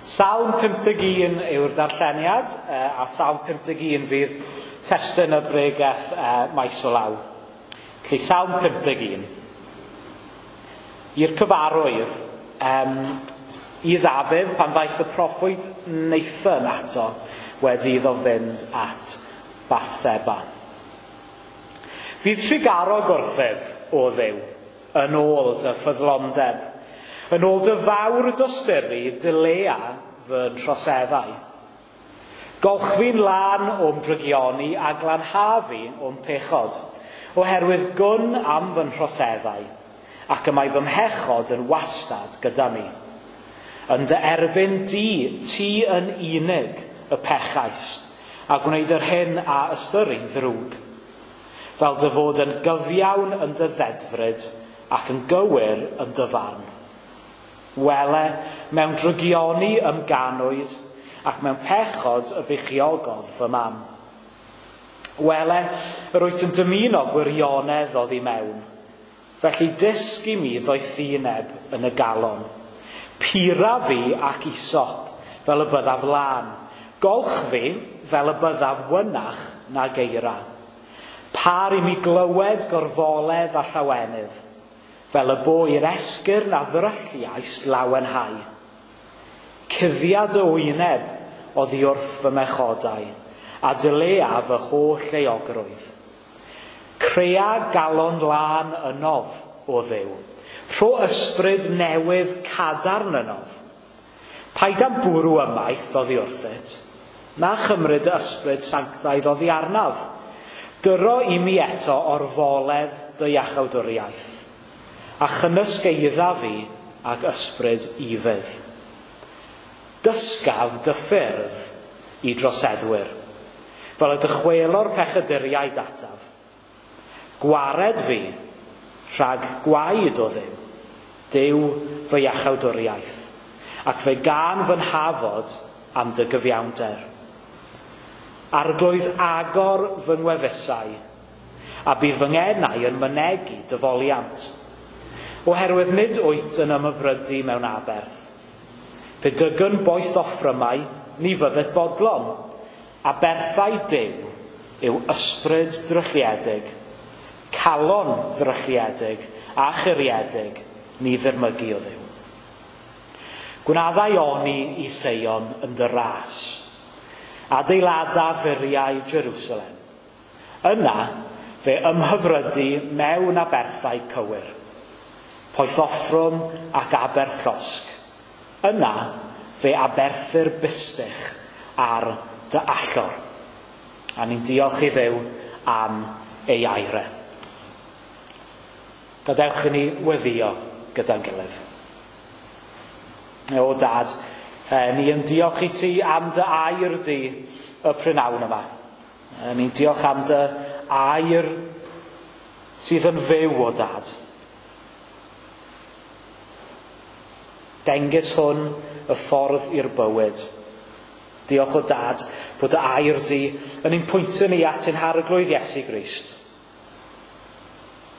Salm 51 yw'r darlleniad, a Salm 51 fydd testun y bregeth maes o law. Felly Salm 51. I'r cyfarwydd, i Ddafydd pan ddaeth y proffwyd Nathan ato wedi iddo fynd at Bathseba. Bydd trugarog wrthyf, o Dduw, yn ôl dy ffyddlondeb, yn ôl dy fawr dosturi dilea fy nhroseddau. Golch fi'n lân o'm drygioni a glanha fi o'm pechod, oherwydd gwn am fy nhroseddau, ac y mae fy mhechod yn wastad gyda mi. Yn dy erbyn di, ti yn unig y pechais, a gwneud yr hyn a ystyri'n ddrwg, fel dy fod yn gyfiawn yn dy ddedfryd ac yn gywir yn dy farn. Wele, mewn drygioni ymganwyd, ac mewn pechod y beichiogodd fy mam. Wele, yr wyt yn dymuno gwirionedd oddi mewn, felly dysg i mi ddoethineb yn y galon. Pura fi ac isop, fel y byddaf lân. Golch fi, fel y byddaf wynach na geira. Par i mi glywed gorfoledd a llawenydd, fel y bo i'r esgyrn a ddrylliais lawenhau. Cuddiad y wyneb oddi wrth fy mechodau, a dylea fy holl euogrwydd. Crea galon lân ynof, o Dduw. Rho ysbryd newydd cadarn ynof. Paid am bwrw ymaith oddi wrthyt, na chymryd y ysbryd sanctaidd oddi arnaf. Dyro i mi eto orfoledd dy iachawdwriaeth, a chymysgeidda fi ag ysbryd ufudd. Dysgaf dy ffyrdd i droseddwyr, fel y dychwelo'r pechaduriaid ataf. Gwared fi rhag gwaed o Dduw, Duw fy iachawdwriaeth, ac fe gân fy nhafod am dy gyfiawnder. Arglwydd agor fy ngwefusau, a bydd fy ngenau yn mynegi dy foliant. Oherwydd nid wyt yn ymhyfrydu mewn aberth. Pe dygwn boeth offrymau, ni fyddet fodlon. Aberthau Duw yw ysbryd drylliedig, calon ddrylliedig a churiedig, ni ddirmygu o Dduw. Gwnaddau oni i Seion yn dy ras. Adeilada furiau Jerusalem. Yna fe ymhyfrydu mewn aberthau cywir, poethoffrwm ac aberth llosg. Yna fe aberthir bustych ar dy allor. A ni'n diolch i Dduw am ei air e. Gadewch i ni weddïo gyda'n gilydd. O Dad, ni yn diolch i ti am dy air di y prynhawn yma. Ni'n diolch am dy air sydd yn fyw, o Dad. Dengys hwn y ffordd i'r bywyd. Diolch o Dad bod dy air di yn ein pwyntio ni at ein harglwydd Iesu Grist.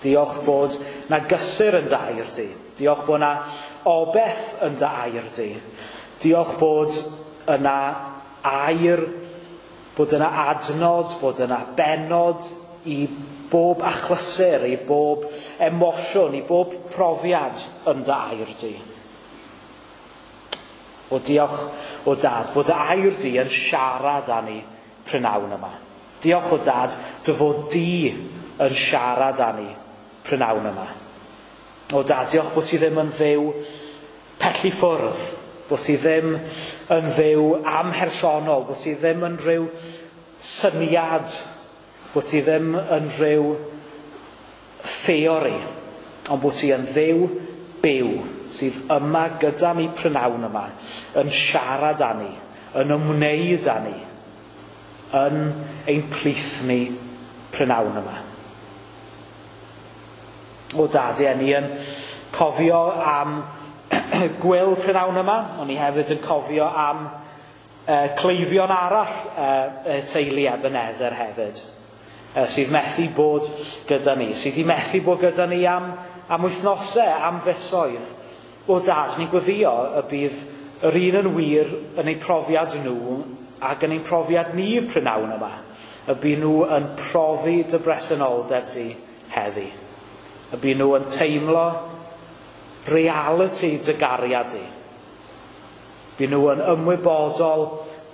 Diolch bod na gysur yn dy air di. Diolch bod na obeth yn dy air di. Diolch bod yna air, bod yna adnod, bod yna bennod i bob achlysur, i bob emosiwn, i bob profiad yn dy air di. O diolch o Dad, bod dy air di yn siarad â ni prynhawn yma. Diolch o Dad, dy fod di yn siarad â ni prynhawn yma. O Dad, diolch bod ti ddim yn Dduw pell i ffwrdd, bod ti ddim yn Dduw amhersonol, bod ti ddim yn rhyw syniad, bod ti ddim yn rhyw theori, ond bod ti yn Dduw byw sydd yma gyda ni prynhawn yma, yn siarad â ni, yn ymwneud â ni, yn ein plith ni prynhawn yma. O Dad, ie, ni yn cofio am gwyl prynhawn yma, ond ni hefyd yn cofio am cleifion arall y teulu Ebenezer hefyd, sydd methu bod gyda ni, sydd wedi methu bod gyda ni am wythnosau, am fisoedd. O Dad, ni'n gweddïo y bydd yr un yn wir yn eu profiad nhw ac yn ein profiad ni prynawn yma. Y bu nhw yn profi dy bresenoldeb di heddi. Y bu nhw yn teimlo reality dy gariad di. Bu nhw yn ymwybodol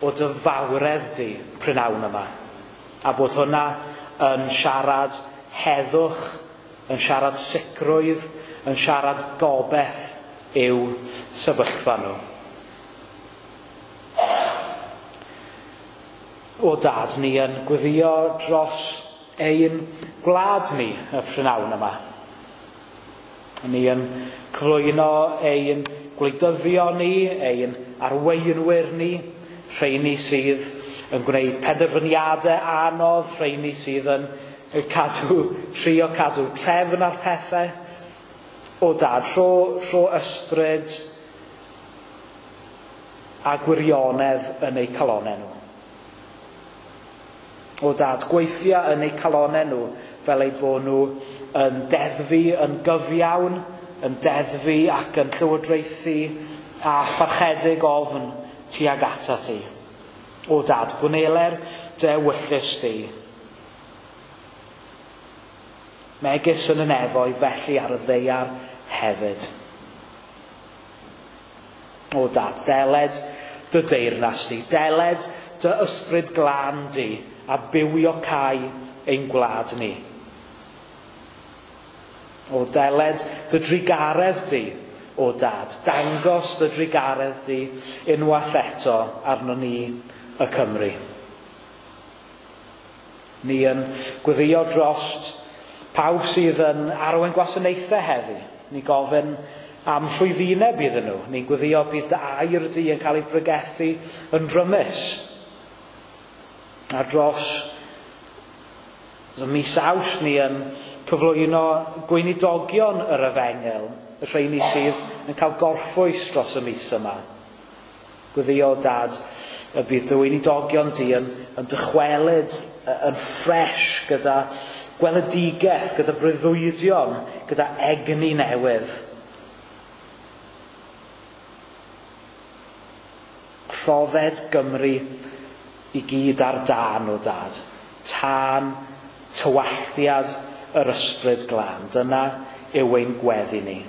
o dy fawredd di prynawn yma. A bod hwnna yn siarad heddwch, yn siarad sicrwydd, yn siarad gobeith i'w sefyllfa nhw. O Dad, ni yn gweddio dros ein gwlad ni y prynhawn yma. Ni yn cyflwyno ein gwleidyddion ni, ein arweinwyr ni, rheini sydd yn gwneud penderfyniadau anodd, rheini sydd yn trio cadw trefn ar pethau. O Dad, rho ysbryd a gwirionedd yn eu calonau nhw. O Dad, gweithio yn eu calonau nhw fel eu bod nhw yn deddfu yn gyfiawn, yn deddfu ac yn llywodraethu a pharchedig ofn tuag atat ti. O Dad, gwneler dy ewyllys di. Megis yn y nefoedd, felly ar y ddaear hefyd. O Dad, deled dy deyrnas di, deled dy ysbryd glân di, a bywio cae ein gwlad ni. O deled dy drugaredd di, o Dad, dangos dy drugaredd di unwaith eto arno ni y Cymru. Ni yn gweddio drost pawb sydd yn arwain gwasanaethau heddi. Ni gofyn am llwyddineb iddyn nhw. Ni'n gweddio bydd dy air di yn cael ei bregethu yn drymus. A dros y mis Awst ni yn cyflwyno gweinidogion yr Efengyl, y rheini sydd yn cael gorffwys dros y mis yma. Gweddio, Dad, y bydd dy weinidogion di yn dychwelyd yn ffres gyda gweledigaeth, gyda breuddwydion, gyda egni newydd. Rhodded Gymru i gyd ar dân, o Dad. Tân tywalltiad yr ysbryd glân. Dyna yw ein gweddi ni.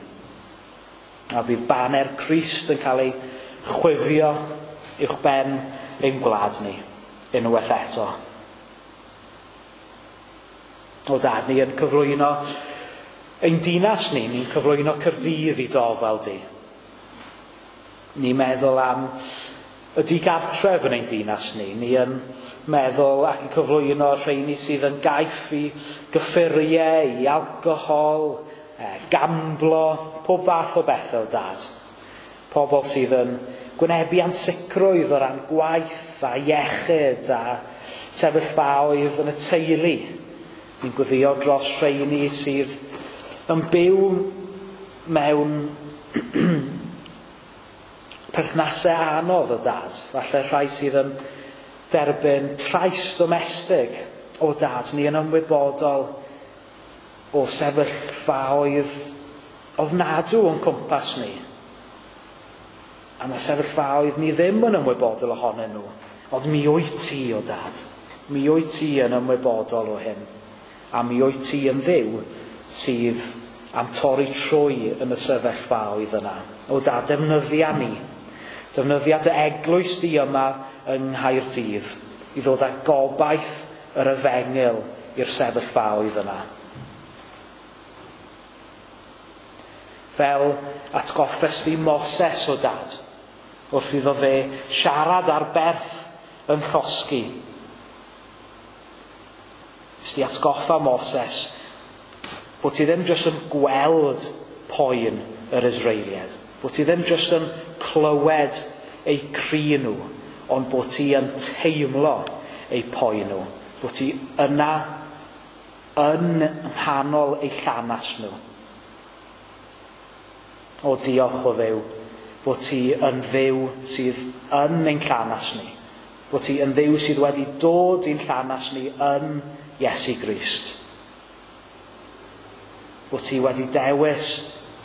A bydd baner Crist yn cael ei chwifio uwchben ein gwlad ni, unwaith eto. O Dad, ni yn cyflwyno ein dinas ni, ni'n cyflwyno Caerdydd i dofal di. Ni'n meddwl am y digartref yn ein dinas ni. Ni yn meddwl ac yn cyflwyno rheini sydd yn gaiff i gyffuriau, i alcohol, gamblo, pob fath o bethau, Dad. Pobl sydd yn gwynebu ansicrwydd o ran gwaith a iechyd a sefyllfaoedd yn y teulu. Ni'n gweddio dros rheini sydd yn byw mewn perthnasau anodd o Dad. Falle rhai sydd yn derbyn trais domestig o Dad. Ni yn ymwybodol o sefyllfaoedd ofnadw o'n cwmpas ni. A mae sefyllfaoedd ni ddim yn ymwybodol ohonyn nhw. Ond mi wyt ti, o Dad. Mi wyt ti yn ymwybodol o hyn. A mi wyt ti yn Dduw sydd am torri trwy yn y sefyllfaoedd yna. O Dad, defnyddia ni. Defnyddia dy eglwys di yma yng Nghaerdydd i ddod â gobaith yr Efengyl i'r sefyllfaoedd yna. Fel atgoffes di Moses, o Dad, wrth iddo fe siarad ar berth yn llosgi. Nes di atgoffa Moses bod ti ddim jyst yn gweld poen yr Israeliaid, bod ti ddim jyst yn clywed eu cri nhw, ond bod ti yn teimlo eu poen nhw, bod ti yna yn nghanol eu llanas nhw. O diolch o Dduw, bod ti yn Dduw sydd yn ein llanas ni, bod ti yn Dduw sydd wedi dod i'n llanas ni yn Iesu Grist. Bod ti wedi dewis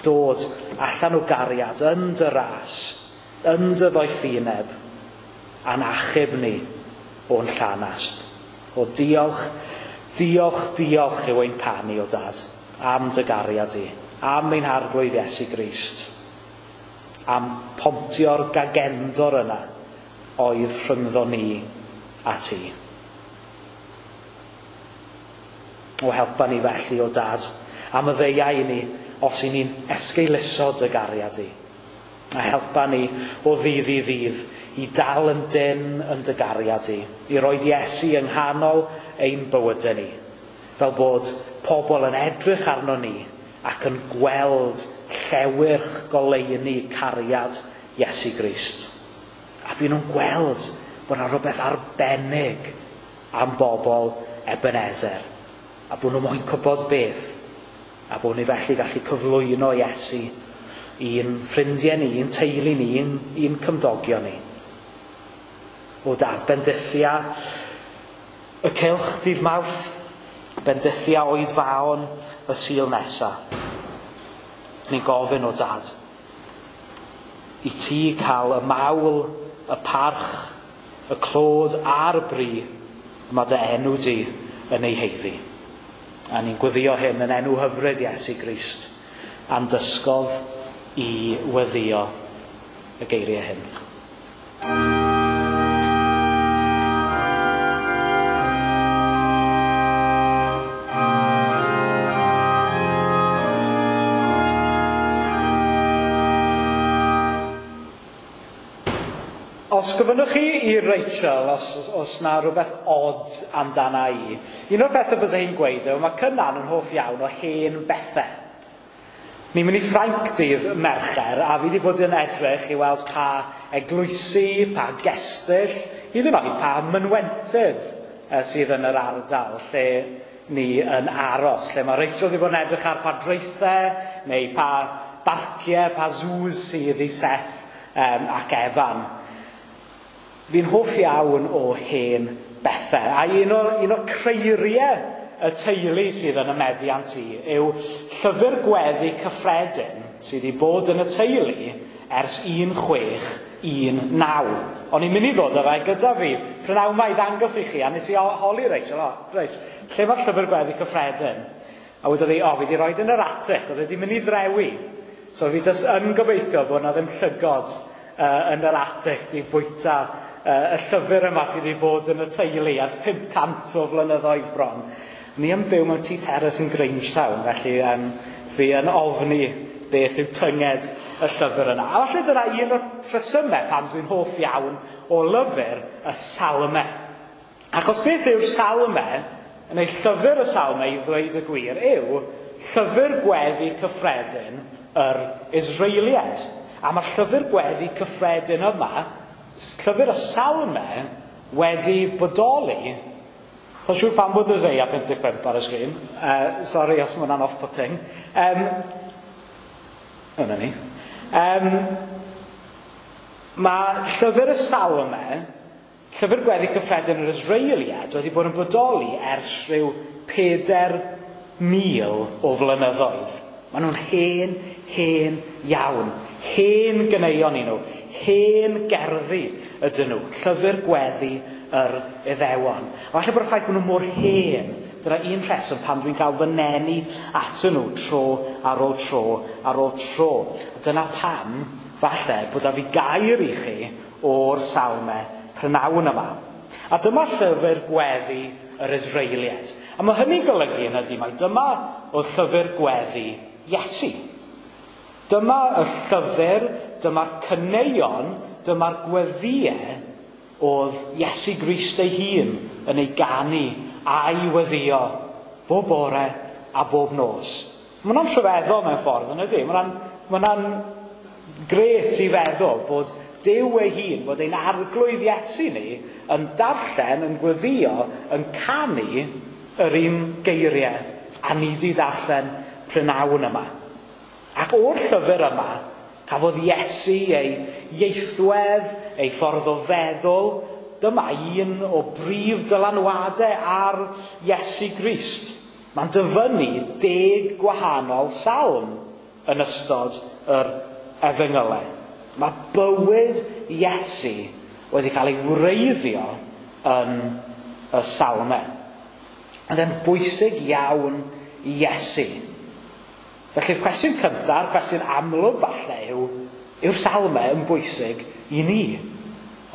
dod allan o gariad yn dy ras, yn dy ddoethineb, a'n achub ni o'n llanast. O diolch, diolch, diolch yw ein canu o dad, am dy gariad i, am ein harglwydd Iesu Grist, am pontio'r gagendor yna oedd rhyngddo ni a ti. O helpa ni felly o dad, am y ddeiau i ni os i ni'n esgeuluso dy gariad i. A helpa ni o ddydd i ddydd i dal yn dyn yn dy gariad i, i roed Iesu yng nghanol ein bywydau ni, fel bod pobl yn edrych arno ni ac yn gweld llewyrch goleuni cariad Iesu Grist. A byd nhw'n gweld bod yna rhywbeth arbennig am bobl Ebenezer. A bod nhw moyn gwybod beth. A bod ni felly gallu cyflwyno Iesu i'n ffrindiau ni, i'n teulu ni, i'n cymdogion ni. O dad, bendithia y cylch dydd Mawrth, bendithia oedfaon y Sul nesa. Ni'n gofyn o dad i ti cael y mawl, y parch, y clod a'r bri mae dy enw di yn ei heiddi. A ni'n gweddio hyn yn enw hyfryd Iesu Grist, a'n dysgodd i weddio y geiriau hyn. Os gofynnwch chi i Rachel, os na rhywbeth odd amdana i, un o'r pethau bysa hi'n gweud yw, mae Cynan yn hoff iawn o hen bethau. Ni'n mynd i Ffrainc dydd Mercher, a fi wedi bod yn edrych i weld pa eglwysi, pa gestyll, hyd yn oed pa mynwentydd sydd yn yr ardal lle ni yn aros, lle mae Rachel wedi bod yn edrych ar pa draethau, neu pa barciau, pa zoos sydd i Seth ac Evan. Fi'n hoff iawn o hen bethau. A un o'r creiriau y teulu sydd yn y meddiant i yw llyfr gweddi cyffredin sydd wedi bod yn y teulu ers 1619. O'n i'n mynd i ddod â fe gyda fi prynhawn 'ma i ddangos i chi, a nes i holi Rachel, o, Rach, lle mae'r llyfr gweddi cyffredin? A wedodd hi, o, fi wedi rhoi yn yr atig, oedd wedi mynd i ddrewi. So fi jyst yn gobeithio bod na ddim llygod yn yr atig di bwyta y llyfr yma sydd wedi bod yn y teulu ers 500 o flynyddoedd bron. Ni yn byw mewn tŷ teras yn Grangetown, felly fi yn ofni beth yw tynged y llyfr yna. A falle dyna un o'r rhesymau pam dwi'n hoff iawn o lyfr y Salmau. Achos beth yw'r Salmau, neu llyfr y Salmau i ddweud y gwir, yw llyfr gweddi cyffredin yr Israeliaid. A mae'r llyfr gweddi cyffredin yma, llyfr y Salmau, wedi bodoli. Sa'n siŵr pam bod Isaiah 55 ar y sgrin. Sori os mae hwnna'n off-putting. Yna ni. Mae llyfr y Salmau, llyfr gweddi cyffredin yr Israeliaid, wedi bod yn bodoli ers rhyw 4,000 o flynyddoedd. Maen nhw'n hen, hen iawn. Hen ganeuon i nhw, hen gerddi ydyn nhw, llyfr gweddi yr Iddewon. A falle bod y ffaith bod nhw mor hen, dyna un rheswm pam dwi'n cael fy nenu atyn nhw tro ar ôl tro ar ôl tro. A dyna pam, falle, bod a fi gair i chi o'r Salmau prynhawn yma. A dyma llyfr gweddi yr Israeliaid. A mae hynny'n golygu yn ydy mai dyma oedd llyfr gweddi Iesu. Dyma y llyfr, dyma'r caneuon, dyma'r gweddïau oedd Iesu Grist ei hun yn ei ganu a'i weddio bob bore a bob nos. Mae hwnna'n rhyfeddol mewn ffordd, yn ydy? Mae hwnna'n grêt i feddwl bod Duw ei hun, bod ein arglwydd Iesu ni yn darllen, yn gweddio, yn canu yr un geiriau a ni di darllen prynhawn yma. Ac o'r llyfr yma, cafodd Iesu ei ieithwedd, ei ffordd o feddwl. Dyma un o brif dylanwadau ar Iesu Grist. Mae'n dyfynnu 10 gwahanol salm yn ystod yr efengylau. Mae bywyd Iesu wedi cael ei wreiddio yn y salmau. Oedd e'n bwysig iawn i Iesu. Felly'r cwestiwn cyntaf, cwestiwn amlwg falle yw, yw'r salmau yn bwysig i ni?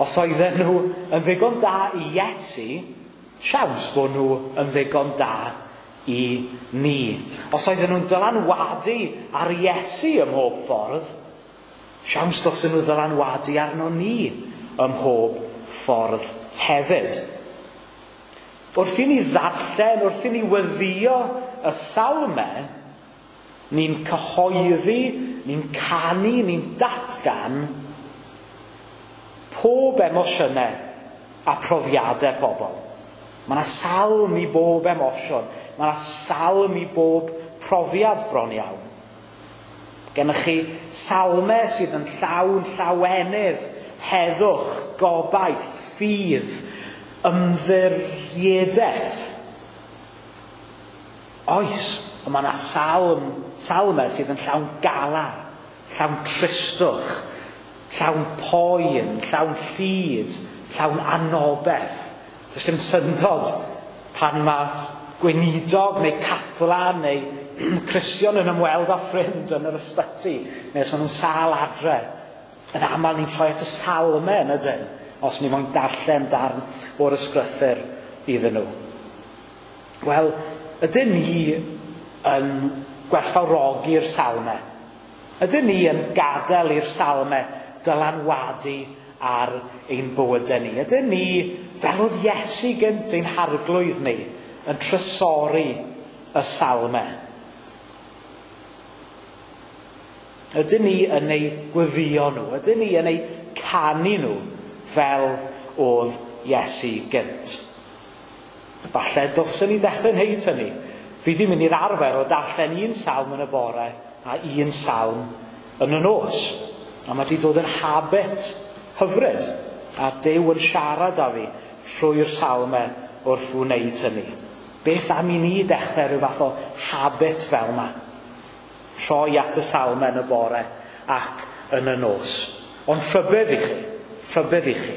Os oedden nhw yn ddigon da i Iesu, siawns bod nhw yn ddigon da i ni. Os oedden nhw'n dylanwadu ar Iesu ym mhob ffordd, siawns dylsyn nhw ddylanwadu arno ni ym mhob ffordd hefyd. Wrth i ni ddarllen, wrth i ni weddïo y salmau, ni'n cyhoeddi, ni'n canu, ni'n datgan pob emosiynau a profiadau pobl. Mae yna salm i bob emosiwn. Mae yna salm i bob profiad bron iawn. Gennych chi salmau sydd yn llawn llawenydd, heddwch, gobaith, ffydd, ymddiriedaeth. Oes, ond mae yna salmau sydd yn llawn galar, llawn tristwch, llawn poen, llawn llid, llawn anobaith. Does dim syndod pan mae gweinidog neu caplan neu Cristion yn ymweld â ffrind yn yr ysbyty, neu os maen nhw'n sâl adre. Yn aml ni'n troi at y salmau yn ydyn, os ni moyn darllen darn o'r ysgrythur iddyn nhw. Wel, ydyn ni yn gwerthfawrogi'r salmau? Ydyn ni yn gadael i'r salmau dylanwadu ar ein bywydau ni? Ydyn ni, fel oedd Iesu gynt ein harglwydd ni, yn trysori y salmau? Ydyn ni yn eu gweddïo nhw? Ydyn ni yn eu canu nhw fel oedd Iesu gynt? Falle dylswn ni ddechrau wneud hynny. Fi di mynd i'r arfer o darllen un salm yn y bore a un salm yn y nos. A mae di dod yn habit hyfryd. A Duw yn siarad â fi trwy'r salmau wrth wneud hynny. Beth am i ni dechrau rhyw fath o habit fel yma? Troi at y salmau yn y bore ac yn y nos. Ond rhybudd i chi, rhybudd i chi.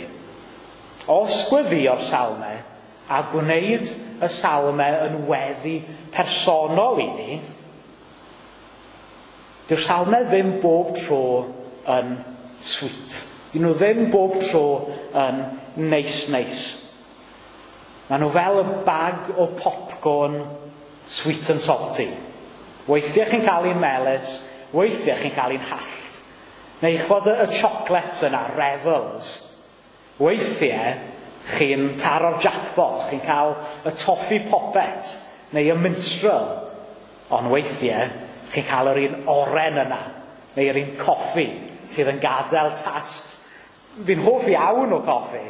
Os gweddïo'r salmau a gwneud y salmau yn weddi personol i ni, dyw'r salmau ddim bob tro yn sweet. Dyn nhw ddim bob tro yn neis neis. Maen nhw fel y bag o popcorn sweet and salty. Weithiau chi'n cael un melys, weithiau chi'n cael un hallt. Neu ch'bod y chocolates yna, Revels. Weithiau chi'n taro'r jackpot, chi'n cael y toffee poppet neu y minstrel. Ond weithiau chi'n cael yr un oren yna, neu yr un coffi sydd yn gadael tast. Fi'n hoff iawn o coffi,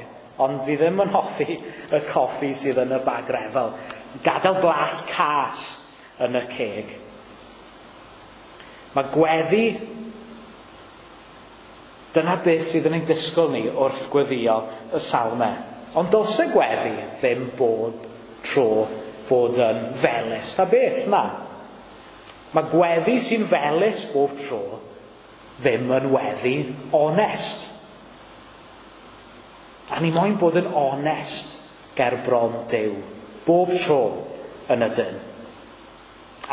ond fi ddim yn hoffi y coffi sydd yn y bag Refel. Gadael blas cas yn y ceg. Mae gweddi, dyna beth sydd yn ein disgwyl ni wrth gweddïo y salmau. Ond dylse gweddi ddim bob tro fod yn felys. Ta beth na? Mae gweddi sy'n felys bob tro ddim yn weddi onest. A ni moyn bod yn onest ger bron Duw, bob tro yn y dyn.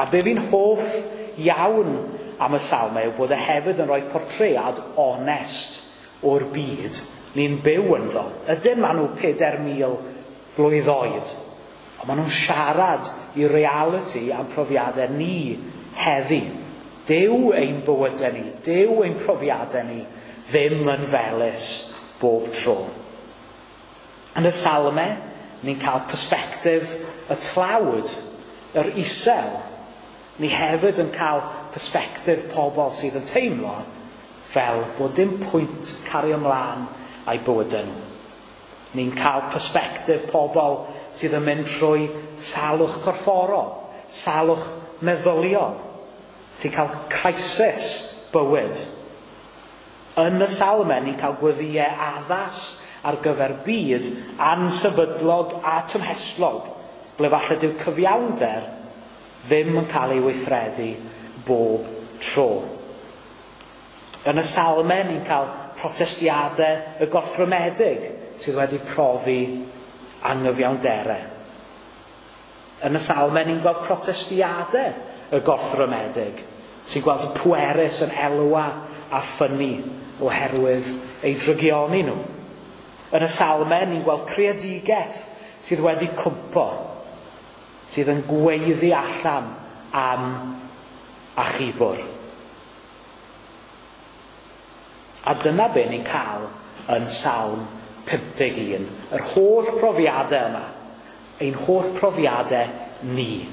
A be fi'n hoff iawn am y salmau yw bod e hefyd yn rhoi portread onest o'r byd ni'n byw ynddo. Ydyn maen nhw 4,000 blwydd oed, ond maen nhw'n siarad i realiti am profiadau ni heddi. Dyw ein bywydau ni, dyw ein profiadau ni ddim yn felys bob tro. Yn y salmau, ni'n cael persbectif y tlawd, yr isel. Ni hefyd yn cael persbectif pobl sydd yn teimlo fel bod dim pwynt cario ymlaen â'u bywydau nhw. Ni'n cael persbectif pobl sydd yn mynd trwy salwch corfforol, salwch meddyliol, sy'n cael crisis bywyd. Yn y salmau, ni'n cael gweddïau addas ar gyfer byd ansefydlog a tymhestlog, ble falle dyw cyfiawnder ddim yn cael ei weithredu bob tro. Yn y salmau, ni'n cael protestiadau y gorthrymedig sydd wedi profi anghyfiawnderau. Yn y salmau, ni'n gweld protestiadau y gorthrymedig sy'n gweld y pwerus yn elwa a ffynnu oherwydd eu drygioni nhw. Yn y salmau, ni'n gweld creadigaeth sydd wedi cwmpo, sydd yn gweiddi allan am achubwr. A dyna be ni'n cael yn Salm 51. Yr holl profiadau yma. Ein holl profiadau ni.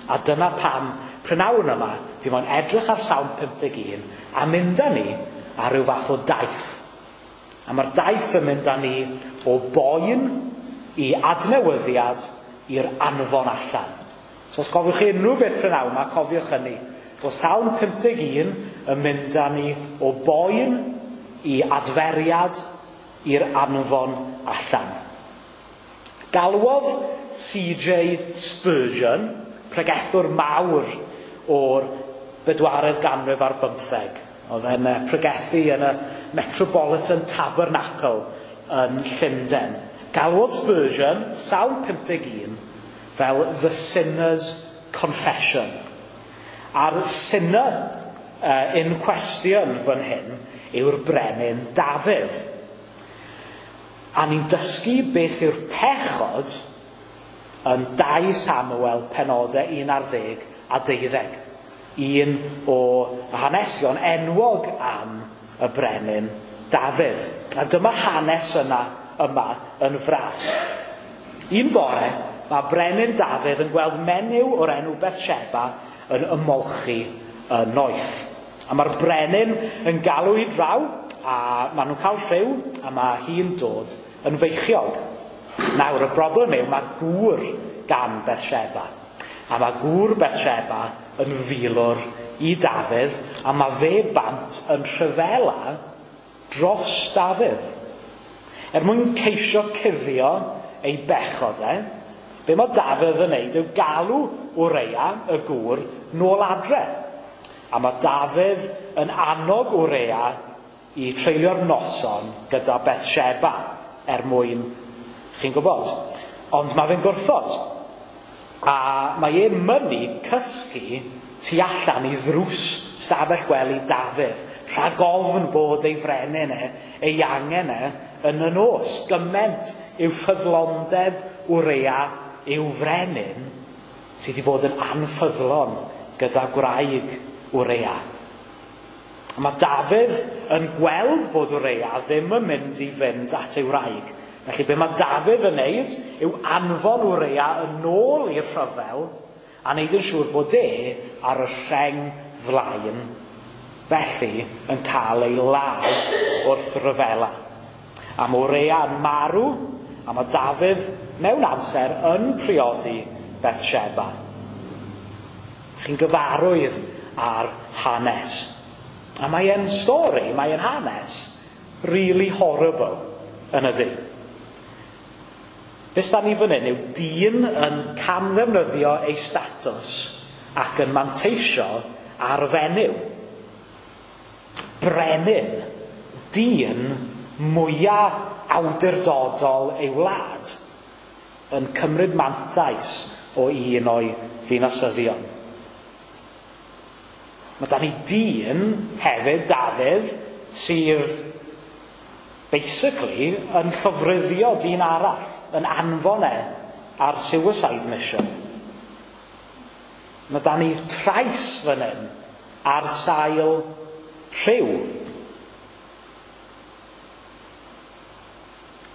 A dyna pam prynawn yma, fi moyn edrych ar Salm 51 a mynd â ni ar ryw fath o daith. A mae'r daith yn mynd â ni o boen i adnewyddiad i'r anfon allan. So os cofiwch chi unrhyw beth prynawn yma, cofiwch hynny. Bod Salm 51 yn mynd â ni o boen i adferiad i'r anfon allan. Galwodd C.J. Spurgeon, pregethwr mawr o'r bedwaredd ganrif ar bymtheg. Oedd e'n pregethu yn y Metropolitan Tabernacle yn Llundain. Galwodd Spurgeon Salm 51 fel The Sinner's Confession. A'r sinner in question fan hyn yw'r brenin Dafydd. A ni'n dysgu beth yw'r pechod yn 2 Samuel penodau 11 a 12. Un o hanesion enwog am y brenin Dafydd. A dyma hanes yna yma yn fras. Un bore, mae brenin Dafydd yn gweld menyw o'r enw Bethsheba yn ymolchi y noeth. A mae'r brenin yn galw i draw, a maen nhw'n cael rhyw, a mae hi'n dod yn feichiog. Nawr, y broblem yw, mae gŵr gan Bethsheba. A mae gŵr Bethsheba yn filwr i Dafydd, a mae fe bant yn rhyfela dros Dafydd. Er mwyn ceisio cuddio ei bechod e, be mae Dafydd yn neud yw galw Ureia, y gŵr, nôl adre. A mae Dafydd yn annog Ureia i treulio'r noson gyda Bethsheba er mwyn, chi'n gwybod. Ond mae fe'n gwrthod. A mae e'n mynnu cysgu tu allan i ddrws stafell gwely Dafydd, rhag ofn bod ei frenin e, ei angen e, yn y nos. Gyment yw ffyddlondeb Ureia i'w frenin sydd wedi bod yn anffyddlon gyda gwraig Ureia. A mae Dafydd yn gweld bod Ureia ddim yn mynd i fynd at ei wraig. Felly be mae Dafydd yn neud yw anfon Ureia yn ôl i'r rhyfel a neud yn siŵr bod e ar y rheng flaen, felly yn cael ei ladd wrth ryfela. A mae Ureia yn marw, a mae Dafydd mewn amser yn priodi Bethsheba. Chi'n gyfarwydd ar hanes. A mae e'n stori, mae e'n hanes really horrible yn ydi. Be sdan ni fan hyn yw dyn yn camddefnyddio ei statws ac yn manteisio ar fenyw. Brenin, dyn mwyaf awdurdodol ei wlad, yn cymryd mantais o un o'i ddinasyddion. Mae da ni dyn hefyd, Dafydd, sydd basically yn llofruddio dyn arall, yn anfon e ar suicide mission. Mae da ni trais fan hyn ar sail rhyw.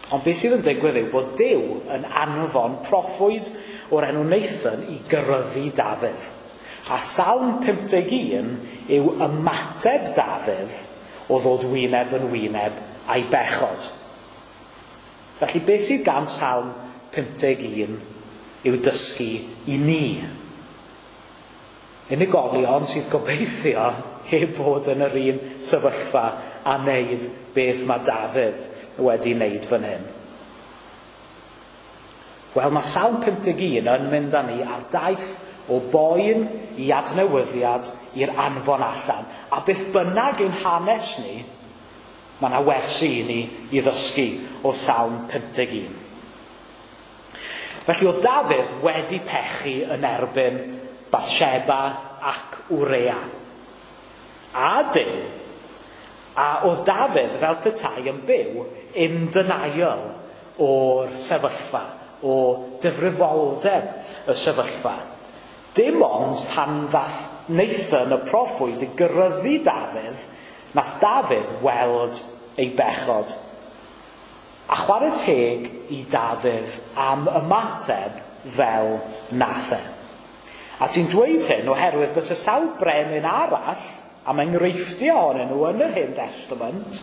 Ond beth sydd yn digwydd yw bod Duw yn anfon proffwyd o'r enw Nathan i gyryddu Dafydd. A Salm 51 yw ymateb Dafydd o ddod wyneb yn wyneb a'i bechod. Felly beth sydd gan Salm 51 yw dysgu i ni. Unigolion sydd gobeithio heb fod yn yr un sefyllfa a wneud beth mae Dafydd wedi wneud fan hyn. Wel, mae Salm 51 yn mynd â ni ar daith O boen i adnewyddiad i'r anfon allan. A beth bynnag ein hanes ni, mae yna wersi i ni i ddysgu o Salm 51. Felly oedd Dafydd wedi pechu yn erbyn Bathsheba ac Wrea. A Duw. A oedd Dafydd fel petai yn byw in denial o'r sefyllfa, o difrifoldeb y sefyllfa. Dim ond pan ddath Nathan y proffwyd i gyryddu Dafydd, nath Dafydd weld ei bechod. A chwarae teg i Dafydd am ymateb fel nath e. A ti'n dweud hyn oherwydd bysa sawl brenin arall, am enghreifftiau ohonyn nhw yn yr Hen Testament,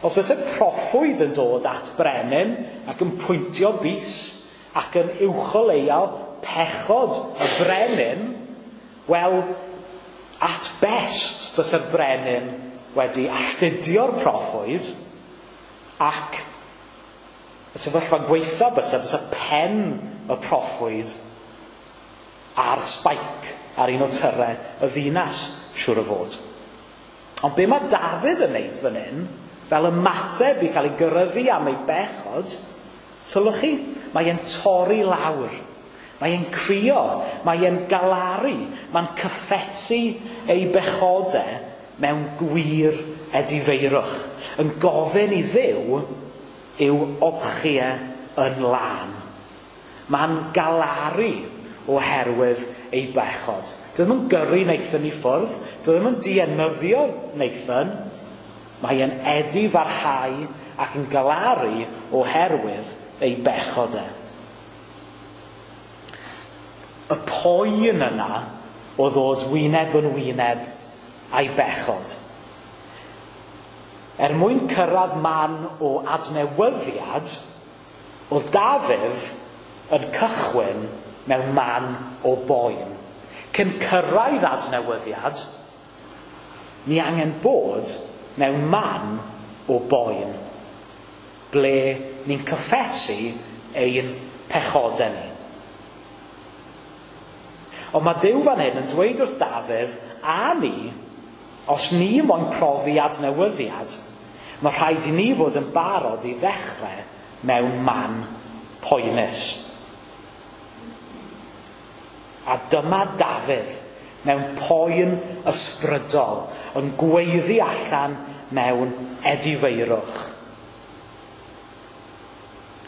os bysa proffwyd yn dod at brenin ac yn pwyntio bys ac yn uwcholeuo pechod y brenin, wel, at best bysa'r brenin wedi alltudio'r proffwyd ac y sefyllfa gweitha bysa pen y proffwyd ar spike ar un o tyrau y ddinas, siŵr o fod. Ond be mae Dafydd yn neud fan hyn, fel ymateb i cael ei gyryddu am ei bechod, sylwch chi, mae e'n torri lawr. Mae e'n crio, mae e'n galaru, mae'n cyffesu ei bechodau mewn gwir edifeirwch, yn gofyn i Dduw i'w olchi e yn lân. Mae'n galaru oherwydd ei bechod. Dwi ddim yn gyrru Nathan i ffwrdd, dwi ddim yn dienyddio Nathan, mae e'n edifarhau ac yn galaru oherwydd ei bechod e. Y poen yna o ddod wyneb yn wyneb a'i bechod. Er mwyn cyrraedd man o adnewyddiad, oedd Dafydd yn cychwyn mewn man o boen. Cyn cyrraedd adnewyddiad, ni angen bod mewn man o boen, ble ni'n cyffesu ein pechodau ni. Ond mae Duw fan hyn yn dweud wrth Dafydd a ni, os ni moyn profi adnewyddiad, mae rhaid i ni fod yn barod i ddechrau mewn man poenus. A dyma Dafydd mewn poen ysbrydol yn gweiddi allan mewn edifeirwch.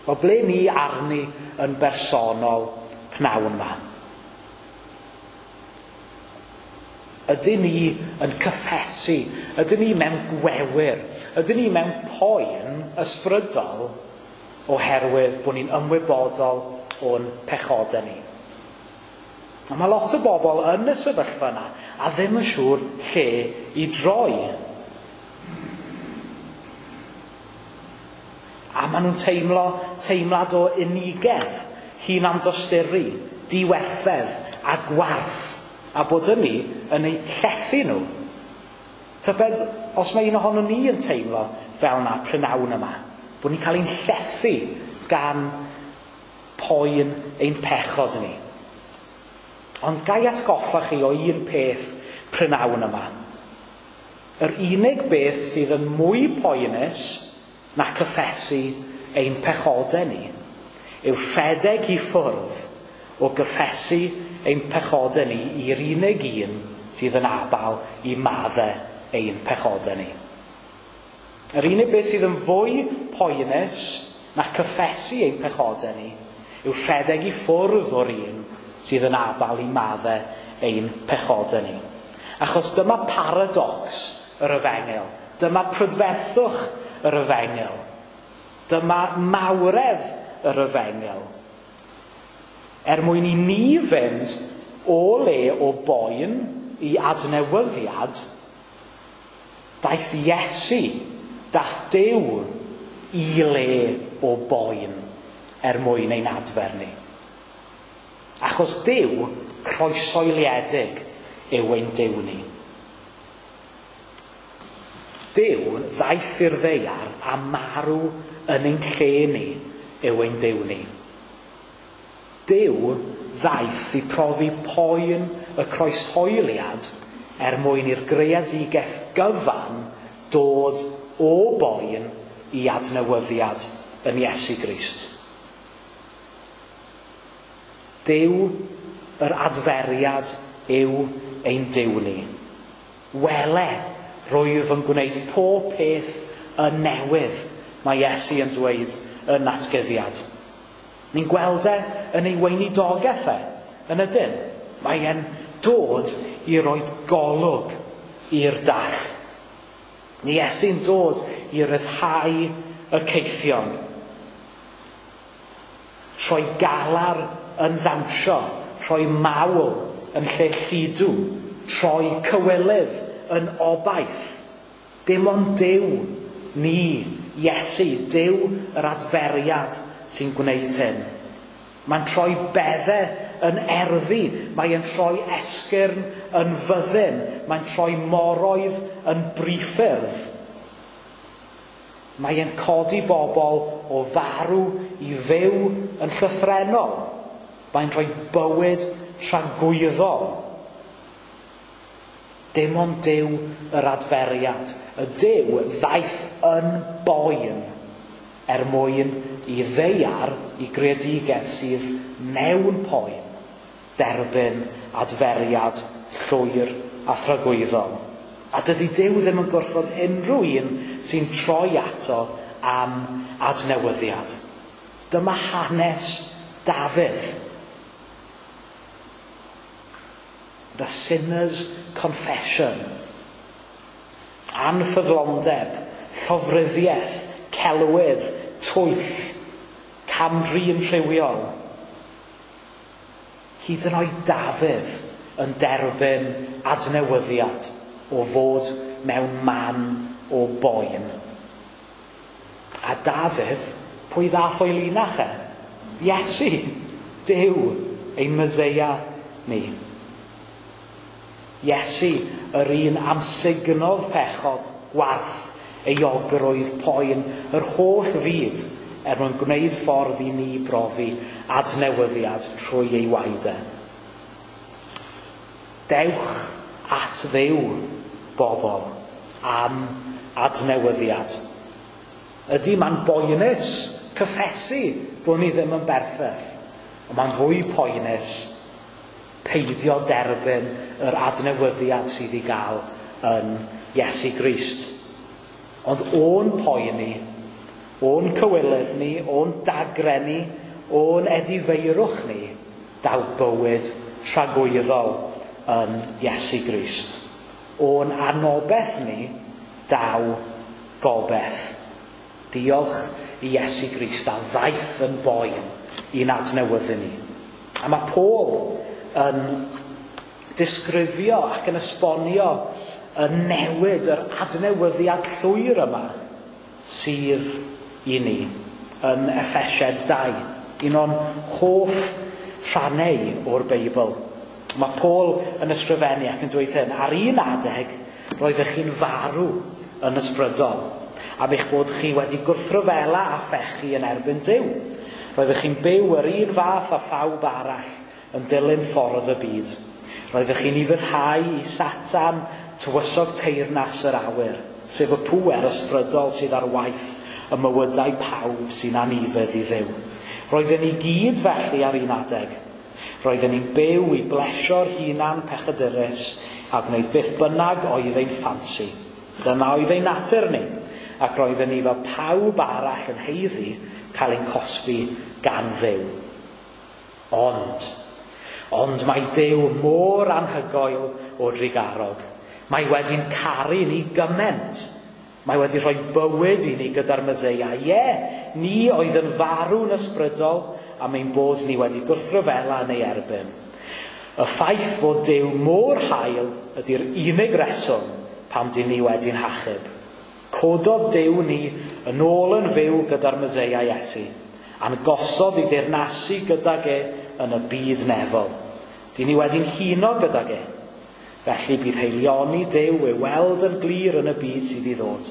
O ble ni arni yn bersonol pnawn yma? Ydyn ni yn cyffesu? Ydyn ni mewn gwewyr? Ydyn ni mewn poen ysbrydol oherwydd bod ni'n ymwybodol o'n pechodau ni? A mae lot o bobl yn y sefyllfa yna a ddim yn siŵr lle i droi. A maen nhw'n teimlo teimlad o unigedd, hunandosturi, diwerthedd a gwarth, a bod hynny yn eu llethu nhw. Tybed, os mae un ohono ni yn teimlo fel yna prynawn yma, bod ni'n cael ein llethu gan poen ein pechod ni. Ond ga i atgoffa chi o un peth prynawn yma. Yr unig beth sydd yn mwy poenus na cyffesu ein pechodau ni yw rhedeg i ffwrdd o gyffesu ein pechodau ni i'r unig un sydd yn abal i maddau ein pechodau ni. Yr unig beth sydd yn fwy poenus na cyffesu ein pechodau ni yw rhedeg i ffwrdd o'r un sydd yn abal i maddau ein pechodau ni. Achos dyma paradox yr efengyl. Dyma prydferthwch yr efengyl. Dyma mawredd yr efengyl. Er mwyn i ni fynd o le o boen i adnewyddiad, daeth Iesu, daeth Duw i le o boen er mwyn ein adfer ni. Achos Duw croesoeliedig yw ein Duw ni. Duw ddaeth i'r ddaear a marw yn ein lle ni yw ein Duw ni. Duw ddaeth i profi poen y croeshoeliad er mwyn i'r greadigaeth gyfan dod o boen i adnewyddiad yn Iesu Grist. Duw yr adferiad yw ein Duw ni. Wele, rwyf yn gwneud pob peth yn newydd, mae Iesu yn dweud yn natguddiad. Ni'n gweld e yn ei weinidogaeth e, yn ydyn. Mae e'n dod i roi golwg i'r dall. Ni Iesu'n dod i ryddhau y caethion. Rhoi galar yn ddawnsio, rhoi mawl yn lle lludw, troi cywilydd yn obaith. Dim ond Duw, ni, Iesu, Duw yr adferiad sy'n gwneud hyn. Mae'n troi beddau yn erddi, mae'n troi esgyrn yn fyddin, mae'n troi moroedd yn briffyrdd. Mae'n codi bobl o farw i fyw yn llythrennol. Mae'n rhoi bywyd tragwyddol. Dim ond Duw yr adferiad. Y Duw ddaeth yn boen er mwyn i ddaear i greadigaeth sydd mewn poen derbyn adferiad llwyr a thragwyddol. A dydy Duw ddim yn gwrthod unrhyw un sy'n troi ato am adnewyddiad. Dyma hanes Dafydd. The sinner's confession. Anffyddlondeb, llofruddiaeth, celwydd, twyll, cam-drin rhywiol. Hyd yn oed Dafydd yn derbyn adnewyddiad o fod mewn man o boen. A Dafydd, pwy ddath o'i linach e? Iesu, Duw, ein Meseia ni. Iesu, yr un amsugnodd pechod, gwarth, euogrwydd, poen, yr holl fyd er mwyn gwneud ffordd i ni brofi adnewyddiad trwy ei waed e. Dewch at Dduw, bobl, am adnewyddiad. Ydy, mae'n boenus cyffesu bod ni ddim yn berffaith, ond mae'n fwy poenus peidio derbyn yr adnewyddiad sydd i gael yn Iesu Grist. Ond o'n poen ni, o'n cywilydd ni, o'n dagre ni, o'n edifeirwch ni, daw bywyd tragwyddol yn Iesu Grist. O'n anobeth ni, daw gobeith. Diolch i Iesu Grist a ddaeth yn boen i'n adnewyddu ni. A mae Paul yn disgrifio ac yn esbonio y newid, yr adnewyddiad llwyr yma sydd i ni yn Effesiaid 2, un o'n hoff rhannau o'r Beibl. Mae Paul yn ysgrifennu ac yn dweud hyn, ar un adeg roeddech chi'n farw yn ysbrydol, am eich bod chi wedi gwrthryfela a phechu yn erbyn Duw. Roeddech chi'n byw yr un fath â phawb arall yn dilyn ffordd y byd. Roeddech chi'n ufuddhau i Satan, tywysog teyrnas yr awyr, sef y pŵer ysbrydol sydd ar waith y mywydau pawb sy'n anufudd i Dduw. Roedden ni gyd felly ar un adeg. Roedden ni'n byw i blesio'r hunan pechadurus a gwneud beth bynnag oedd ein ffansi. Dyna oedd ein natur ni, ac roedden ni fel pawb arall yn haeddu cael ein cosbi gan Dduw. Ond mae Duw mor anhygoel o drugarog. Mae wedi'n caru ni gymaint. Mae wedi rhoi bywyd i ni gyda'r Meseia. Ie, ni oedd yn farw'n ysbrydol am ein bod ni wedi gwrthryfela yn ei erbyn. Y ffaith fod Duw mor hael ydy'r unig reswm pam dyn ni wedi'n hachub. Cododd Duw ni yn ôl yn fyw gyda'r Meseia Iesu, a'n gosod i deyrnasu gydag e yn y byd nefol. Dyn ni wedi'n huno gydag e. Felly bydd haelioni Duw ei weld yn glir yn y byd sydd i ddod.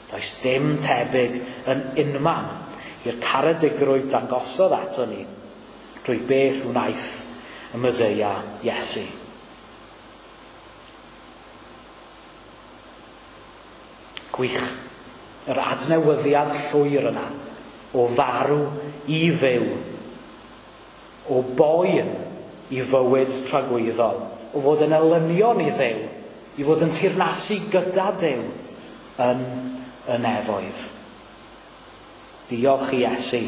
Does dim tebyg yn unman i'r caredigrwydd dangosodd ato ni drwy beth wnaeth y Meseia Iesu. Gwych. Yr adnewyddiad llwyr yna o farw i fyw, o boen i fywyd tragwyddol, o fod yn elynion i Dduw, i fod yn teyrnasu gyda Duw yn y nefoedd. Diolch i Iesu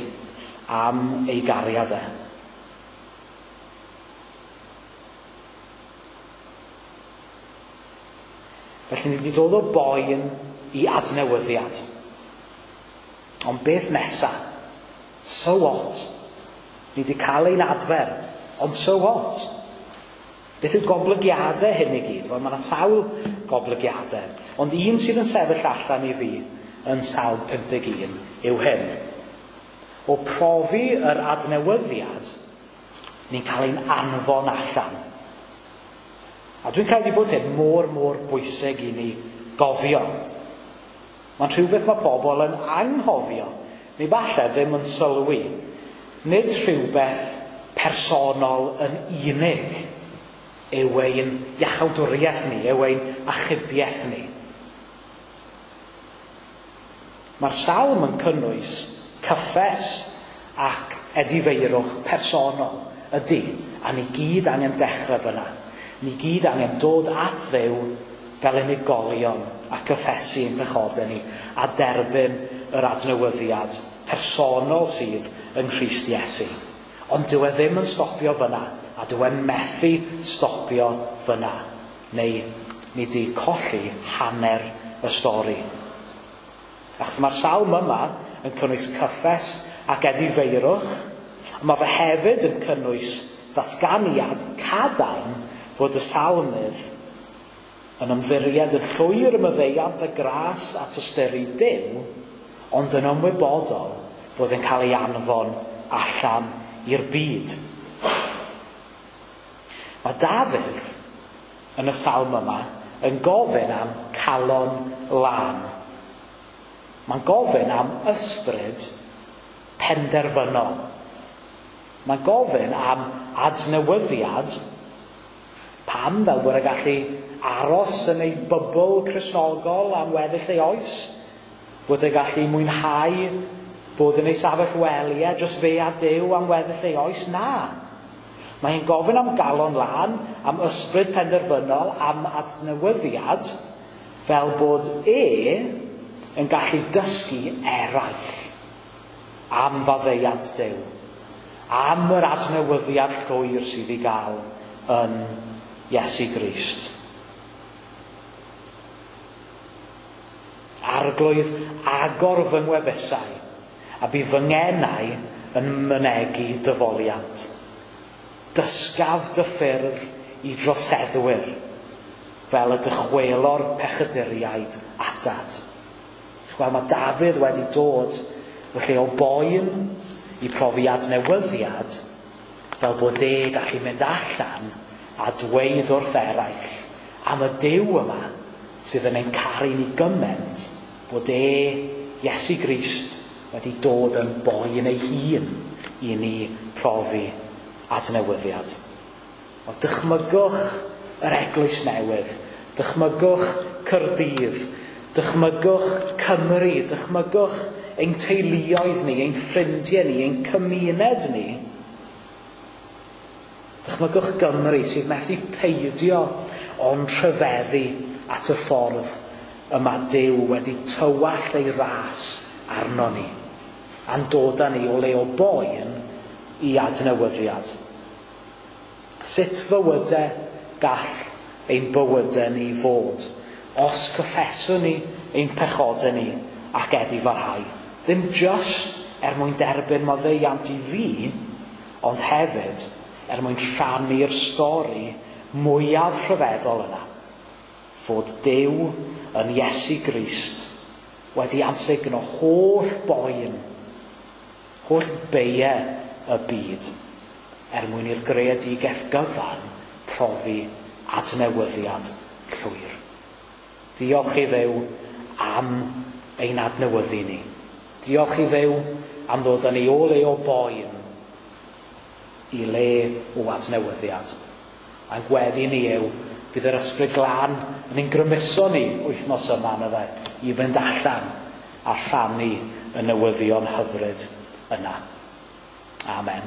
am ei gariad e. Felly ni wedi dod o boen i adnewyddiad. Ond beth nesa? So what? Ni wedi cael ein adfer, ond so what? Beth yw goblygiadau hyn i gyd? Wel, mae yna sawl goblygiadau. Ond un sydd yn sefyll allan i fi yn Salm 51 yw hyn. O profi yr adnewyddiad, ni'n cael ein anfon allan. A dwi'n credu bod hyn mor, mor bwysig i ni gofio. Mae'n rhywbeth mae pobl yn anghofio, neu falle ddim yn sylwi. Nid rhywbeth personol yn unig yw ein iachawdwriaeth ni, yw ein achubiaeth ni. Mae'r salm yn cynnwys cyffes ac edifeirwch personol, ydy, a ni gyd angen dechrau fyna. Ni gyd angen dod at Dduw fel unigolion a cyffesu ein pechodau ni a derbyn yr adnewyddiad personol sydd yng Nghrist Iesu. Ond dyw e ddim yn stopio fyna, a dyw e'n methu stopio fyna. Neu ni di colli hanner y stori. Achos mae'r salm yma yn cynnwys cyffes ac edifeirwch, ond mae fe hefyd yn cynnwys datganiad cadarn fod y salmydd yn ymddiried yn llwyr ym maddeuant a gras a tosturi Duw, ond yn ymwybodol bod yn cael ei anfon allan i'r byd. Mae Dafydd yn y salm yma yn gofyn am calon lân. Mae'n gofyn am ysbryd penderfynol. Mae'n gofyn am adnewyddiad. Pam? Fel bod e'n gallu aros yn ei bybl Cristnogol am weddill ei oes? Bod e'n gallu mwynhau bod yn ei safell wely e, dros fe a Duw am weddill ei oes? Na. Mae'n gofyn am galon lân, am ysbryd penderfynol, am adnewyddiad, fel bod e yn gallu dysgu eraill am faddeuant Duw, am yr adnewyddiad llwyr sydd i gael yn Iesu Grist. Arglwydd, agor fy ngwefusau, a bydd fy ngenau yn mynegi dyfoliant. Dysgaf dy ffyrdd i droseddwyr, fel y dychwelo'r pechaduriaid atat. Wel, mae Dafydd wedi dod o lle o boen i profi adnewyddiad, fel bod e gallu mynd allan a dweud wrth eraill am y Duw yma sydd yn ein caru ni gymaint bod e, Iesu Grist, wedi dod yn boen ei hun i ni profi adnewyddiad. O, dychmygwch yr eglwys newydd, dychmygwch Caerdydd, dychmygwch Cymru, dychmygwch ein teuluoedd ni, ein ffrindiau ni, ein cymuned ni. Dychmygwch Gymru sydd methu peidio ond rhyfeddu at y ffordd y mae Duw wedi tywallt ei ras arno ni, a'n dod â ni o le o boen i adnewyddiad. Sut fywydau gall ein bywydau ni fod os cyffeswn ni ein pechodau ni ac edifarhau? Ddim just er mwyn derbyn maddeuant i fi, ond hefyd er mwyn rhannu'r stori mwyaf rhyfeddol yna, fod Duw yn Iesu Grist wedi amsugno holl boen, holl beiau y byd, er mwyn i'r greadigaeth gyfan profi adnewyddiad llwyr. Diolch i Dduw am ein adnewyddu ni. Diolch i Dduw am ddod â ni o le o boen i le o adnewyddiad. A'n gweddi ni yw, bydd yr Ysbryd Glân yn ein grymuso ni wythnos yma na fe, i fynd allan a rhannu y newyddion hyfryd yna. Amen.